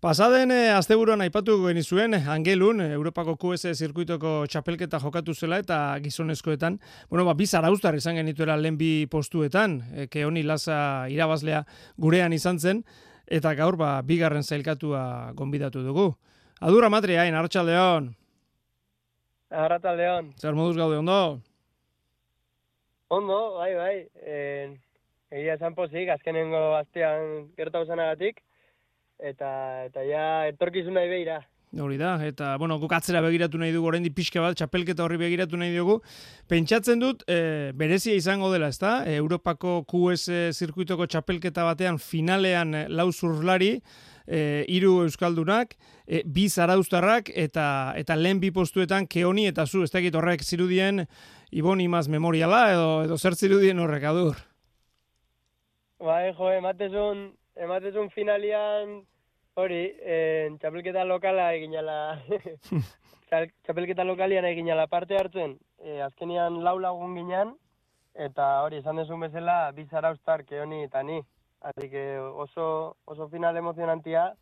Pasaden asteburuan aipatu genizuen Angelun Europako QS zirkuitoko txapelketa jokatu zela eta gizonezkoetan, bi zarauztar izan genituela lehen bi postuetan, Keoni Lasa irabazlea gurean izan zen, eta gaur bigarren zailkatua gonbidatu dugu. Adur Amatri, hain, Arratsaldeon. Arratsaldeon. Zer moduz gaude, ondo? Ondo, bai. Egia esan pozik, azkenengo astean gertatu zenagatik. Eta ja etorkizun nahi behira. Hori da, eta guk atzera begiratu nahi dugu, oraindik pixka bat, txapelketa horri begiratu nahi dugu. Pentsatzen dut, berezia izango dela, ezta? Europako QS zirkuitoko txapelketa batean finalean lau zurlari, 3 euskaldunak, 2 zarauztarrak, eta lehen bi postuetan Keoni eta zu, ez dakit horrek zirudien Ibon Imaz memoriala, edo zer zirudien horrek, Adur? Bai, ematezun finalian hori, txapelketa lokala eginala, txapelketa lokalian eginala parte hartzen, azkenian 4 lagun ginen, eta hori, esan dezun bezala, 2 zarauztar, Keoni eta ni. Así que oso final emozionantia,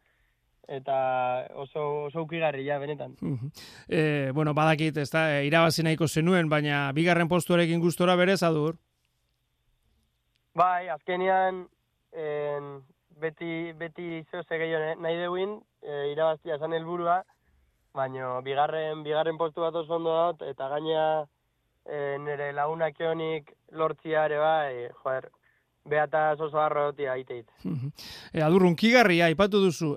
eta oso ukigarria benetan. Badakit, ez da, irabazi nahiko zenuen, baina bigarren postuarekin gustora berez, Adur? Bai, azkenian, beti zehose gehiago nahi deuin, irabaztia esan helburua, baina bigarren postu bat oso ondo dut, eta gaina nire lagunak Keonik lortzia ere bai, behataz oso arrotia aiteit. Adur, unkigarria, aipatu duzu,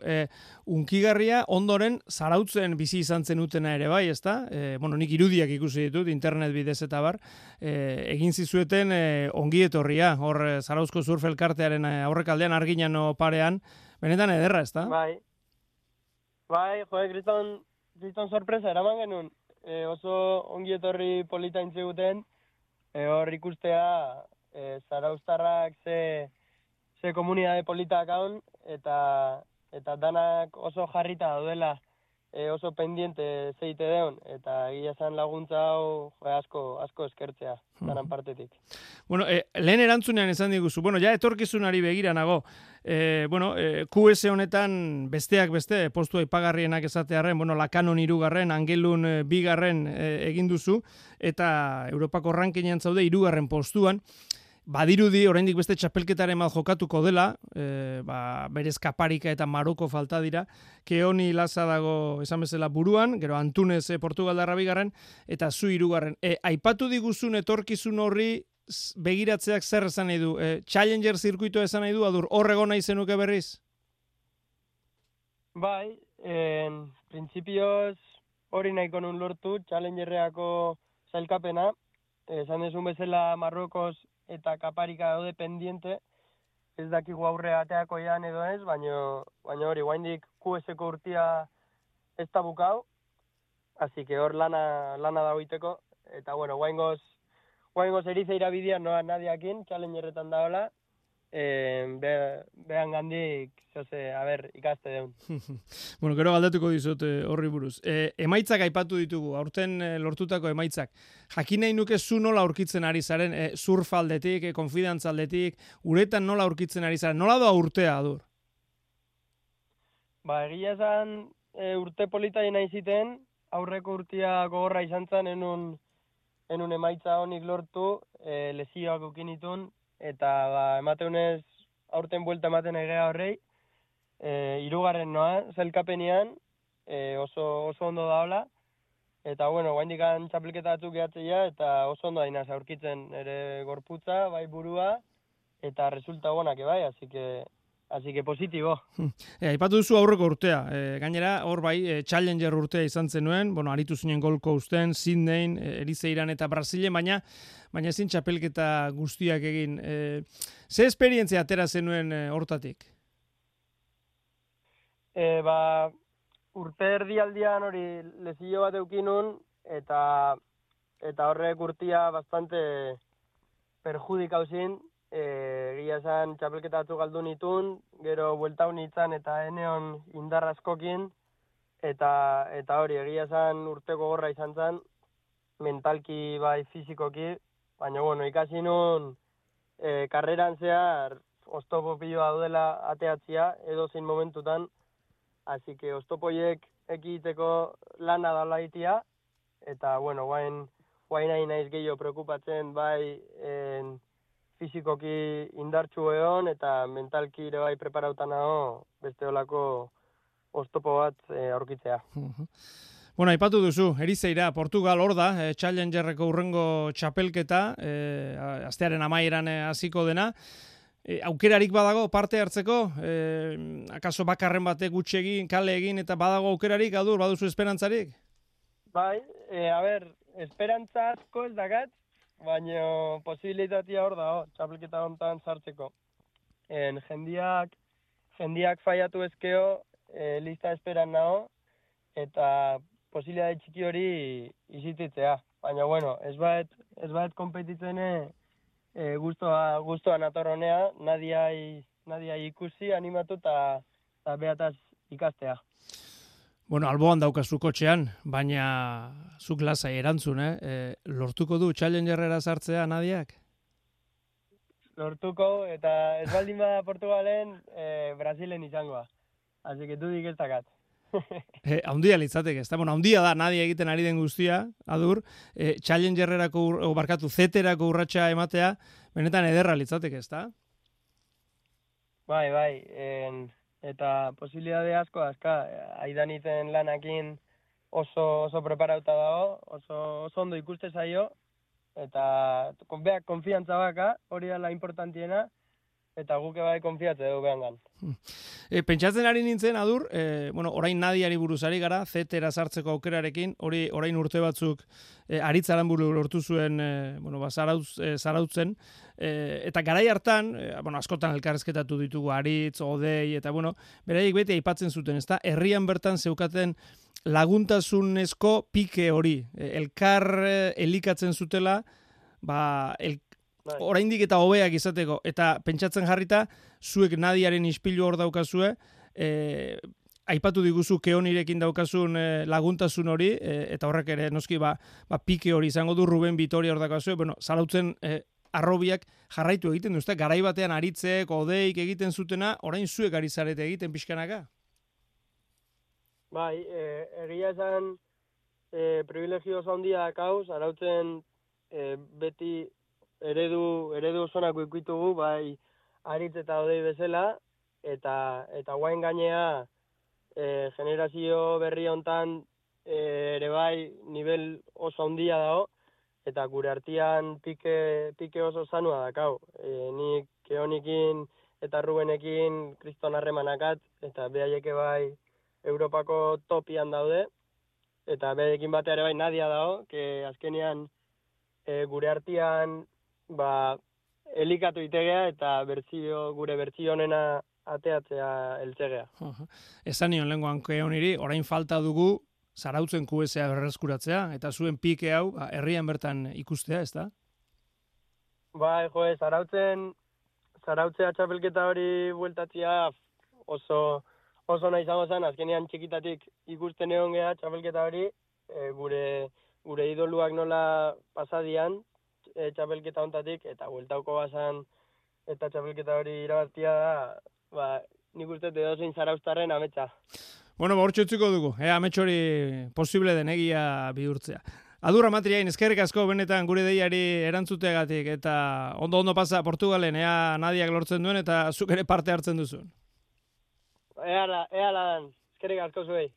unkigarria ondoren zarautzen bizi izan zenutena ere bai, ezta? Nik irudiak ikusi ditut, internet bidez eta bar, egin zizueten ongi etorria, hor Zarauzko surf elkartearen aurrekaldean Arginano parean, benetan ederra, ezta? Bai, kriston sorpresa eraman genuen, oso ongi etorri polita intziguten, hor ikustea, zarauztarrak ze komunidade politak haun, eta danak oso jarrita daudela, oso pendiente zeite deun, eta egia esan laguntza hau asko eskertzea, danan partetik. Lehen erantzunean esan diguzu, ja etorkizunari begira nago, QS honetan besteak beste, postu aipagarrienak esatearren, Lakanon 3, Angelun 2 egin duzu, eta Europako rankingen zaude 3 postuan. Badirudi, oraindik beste txapelketaren mal jokatuko dela, berez Kaparika eta Maroko falta dira, Keoni Lasa dago esan bezala buruan, gero Antunez Portugaldarra 2, eta zu 3. Aipatu diguzun etorkizun horri begiratzeak zer esan nahi du? Challenger zirkuitoa esan nahi du, Adur, horrego nahi zenuke berriz? Bai, printzipioz hori nahiko nun lortu, Challengerreako zailkapena, esan dezun bezala Marrokoz eta Kaparika daude pendiente, ez dakigu aurre ateako ean edo ez, baina hori, guaindik QS-ko urtia ez da bukau, así que hor lana dagoiteko, eta guaingoz erizeira bidean noa nadiakin, Challengerretan daola, behan gandik, ikaste deun. Gero galdatuko dizut horri buruz. Emaitzak aipatu ditugu, aurten lortutako emaitzak. Jakin nahi nuke zu nola aurkitzen ari zaren, surf aldetik, konfidantza aldetik, uretan nola aurkitzen ari zaren, nola doa urtea, Adur? Egia esan urte polita nahi ziten, aurreko urtia gogorra izan zen, enun emaitza honik lortu, lesioak ukinitun, eta emateunez aurten buelta ematen egea horrei, 3 noa, zailkapenean, oso ondo daola, eta guaindikan txapelketa batzuk gehatzeia, eta oso ondo dainaz aurkitzen ere gorputza, bai burua, eta resulta gonak bai, así que positibo. Aipatu duzu aurreko urtea, gainera hor bai Challenger urtea izan zenuen, aritu zinen Gold Coasten, Sydneyn, Erizeiran eta Brasilen, baina ezin txapelketa guztiak egin. Ze esperientzia atera zenuen hortatik? Urte erdialdian hori lezio bat eukinun, eta horrek urtia bastante perjudikau zin, egia esan txapelketa batzuk galdu nitun, gero buelta honitzen eta eneon indarra askokin, eta hori egia esan urteko gorra izan zen, mentalki bai fizikoki, baina ikasi nun karreran zehar oztopo piloa daudela ateatzia, edo zein momentutan, así que oztopoiek ekiteko lana dala itia, eta, bueno, guain nahi naiz gehiago preokupatzen, bai, fizikoki indartsu egon, eta mentalki ere bai preparauta nago, beste olako oztopo bat aurkitzea. Bueno, aipatu duzu, Erizeira, Portugal hor da, Challengerreko urrengo txapelketa, astearen amaieran hasiko dena. Aukerarik badago parte hartzeko, akaso bakarren batek gutxi egin, kale egin, eta badago aukerarik, Adur, baduzu esperantzarik? Bai, esperantza asko ez dakat, baina posibilitatea hor dago, txapelketa hontan sartzeko. Jendiak faiatu ezkeo, lista esperan nago, eta posibilitate txiki hori izititzea. Baina, bueno, ez baet kompetitzen guztua natorronea, nadia ikusi, animatu eta behataz ikastea. Bueno, alboan daukazu kotxean, baina zuk lasai erantzun, lortuko du Challengerrera sartzea Nadiak? Lortuko, eta ez baldin bada Portugalen, Brasilen izangoa. Así que dudik ez dakat. Haundia litzateke, ezta? Bueno, haundia da Nadia egiten ari den guztia, Adur, Challengerrerako, zeterako urratsa ematea, benetan ederra litzateke, ezta? Bai, eta posibilitate asko azka, Aidaniten lanakin oso preparauta dago, oso ondo ikuste zaio, eta beak konfiantza baka, hori da la importantiena, eta guke bai konfiatze dugu behangan. Pentsatzen ari nintzen, Adur, orain Nadiari buruzari gara, zetera sartzeko aukerarekin, hori orain urte batzuk Aritzaran buru lortu zuen, zarautzen, eta garai hartan, askotan elkarrezketatu ditugu Aritz, Odei, eta beraiek beti aipatzen zuten, ezta? Herrian bertan zeukaten laguntasunezko pike hori, elkar elikatzen zutela, oraindik eta hobeak izateko, eta pentsatzen jarrita, zuek Nadiaren ispilu hor daukazue, aipatu diguzu Keonirekin daukazun laguntasun hori, eta horrek ere noski pike hori izango du, Ruben Vitoria hor daukazue, zarautzen arrobiak jarraitu egiten duzte, garai batean Aritzek, Odeik egiten zutena, orain zuek ari zarete egiten pixkanaka? Bai, egia esan privilegio oso handia dakau, zarautzen beti eredu osonako ikuitugu, bai Aritz eta Odei bezala, eta guain gainea generazio berri hontan ere bai nivel oso handia dago, eta gure artean pike oso zanua dakau. Nik Keonikin eta Rubenekin kriston harremanakat, eta behaieke bai Europako topian daude, eta behaiekin batea ere bai Nadia dago, que azkenean gure artean elikatu itegea eta gure bertsio honena ateatzea eltzegea. Esan nion lenguan Keoniri, orain falta dugu zarautzen QSA berreskuratzea, eta zuen pike hau herrian bertan ikustea, ez da? Bai, zarautzea txapelketa hori bueltatzea oso nahi izango zen, azkenean txikitatik ikusten egon geha txapelketa hori, gure idoluak nola pasadian, txapelketa hontatik, eta bueltauko bazan eta txapelketa hori irabaztia da, nik uste edozein zarauztarren ametsa. Hortxe utziko dugu, amets hori posible denegia bihurtzea. Adur Amatriain, eskerrik asko benetan gure deiari erantzuteagatik, eta ondo pasa Portugalen, Nadiak lortzen duen, eta zuk ere parte hartzen duzun. Ea lan, eskerrik asko zuei.